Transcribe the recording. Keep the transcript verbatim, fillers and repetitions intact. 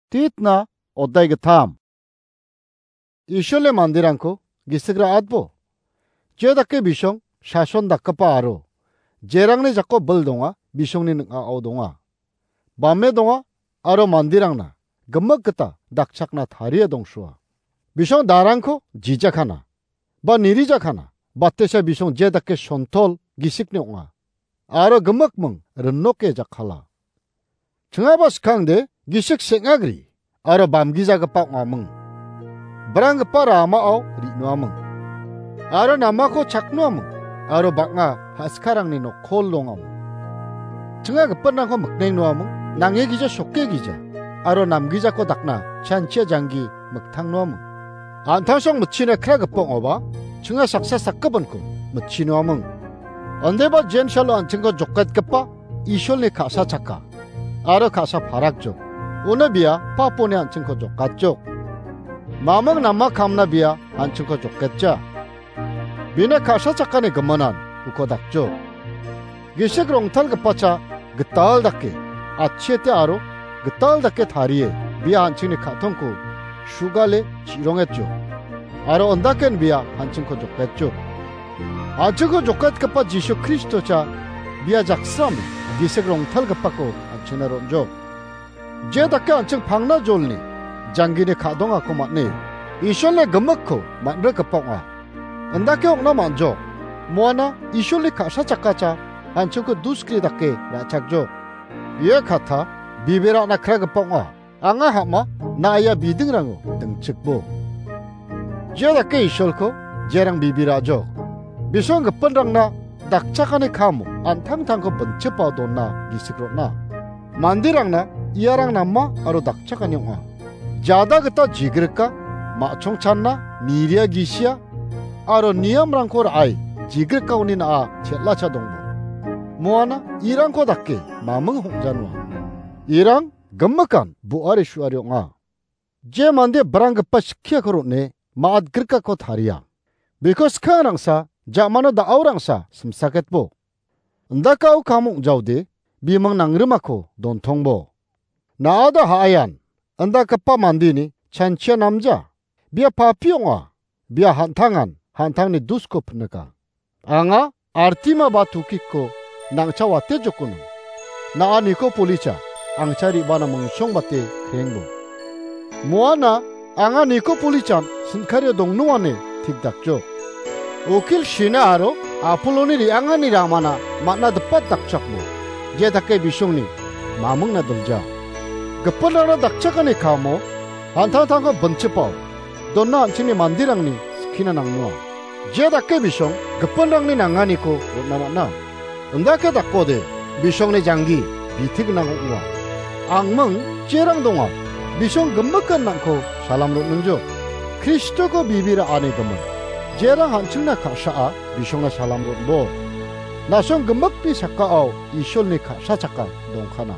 Titna odai gittam. Isolni manderangko gisik ra·atbo. Je dake bisong sason dakgipa aro jerangni jako bil donga, bisongni ning·ao donga. Bame donga aro manderangna gimik gita dakchakna tarie dongsoa. Bisong darangko jijakana, ba nirijakana, batesa bisong je dake sontol gisikni ong·a. Aro gimikming rinoke jakkala. Chingaba skangde gisik seng·agri aro bamgijagipa ong·aming. Branggipa ramao ri·noaming. Aro namako chaknoaming. Aro bang·a haskarangni nokkol dongaming. Chinga gipinrangko miknengnoaming. Nange gija sokke gija. Aro namgijako dakna chanchia janggi miktangnoaming. An·tangsong mitchina kragipa ong·oba, chinga saksa sakgipinko mitchinoaming. Ondeba jensalo an·chingko joketgipa Isolni ka·sa chakka aro ka·sa parakjok. Uno bia paponi an·chingko jokatjok. Maming nama kamna bia an·chingko joketja. Bina ka·sa chakkani giminan uko dakjok. Gisik rongtalgipacha gital dake, achete aro gital dake tarie, bia an·chingni ka·tongko sugale chi·rongetjok. Aro ondaken bia an·chingko joketjok. An·chingko joketgipa Jisu Kristocha bia jaksrame gisik rongtalgipako an·chingna ron·jok. Je dake an·ching pangna jolni janggini ka·dongako man·e, Isolni gimikko man·rikgipa ong·a. Indake ong·na man·jok. Moana Isolni ka·sa chakkacha an·chingko duskri dake ra·chakjok. Ia kata bibirana kragipa ong·a. Anga hama na·ia bidingrango dingchikbo. Jia dake Isolko jerang bibirajok. Bisong gipinrangna dakchakani kamo an·tangtangko binchipa donna gisik rona. Manderangna iarang nama aro dakchakani ong·a. Jada gita jigrika, ma·chongchanna, niria gisia, aro niamrangko ra·e jigrikaoni na·a chel·acha dongbo. Moana irangko dake maming hong·janoa. Irang gimikan bo·ari su·ari ong·a. Je mande branggipa skiako ron·e ma·atgrikako taria. Biko skang rangsa, ja·mano da·o rangsa simsaketbo. Indakao kam ong·jaode bimang nangrimako dontongbo. Na·ada ha·aian, indakgipa mandeni chanchia namja. Bia papi ong·a, bia han·tangan han·tangni dusko pinika. Anga Artima ba Tukiko nangcha wate jokono. Na·a Nikopolicha angcha re·bana mongsongbate krengbo. Moana anga Nikopolichan sinkario dongnoane tikdakjok. Ukil Sina aro Apoloni re·angani ramana man·a dipat dakchakbo. Je dake bisongni mamingna dilja. Gipinrangna dakchakani kamo an·tangtangko binchipao donna an·chingni manderangni skina nangnoa. Je dake bisong gipinrangni nanganiko on·na man·a. Indake dakode bisongni janggi biti gnang ong·a. Angming jerang donga. Bisong gimikan nangko salam ron·ingjo. Kristoko bibira ane gimin. Jerang an·chingna ka·saa bisongna salam ron·bo. Nasong gimikni sakao Isolni ka·sa chakka dongkana.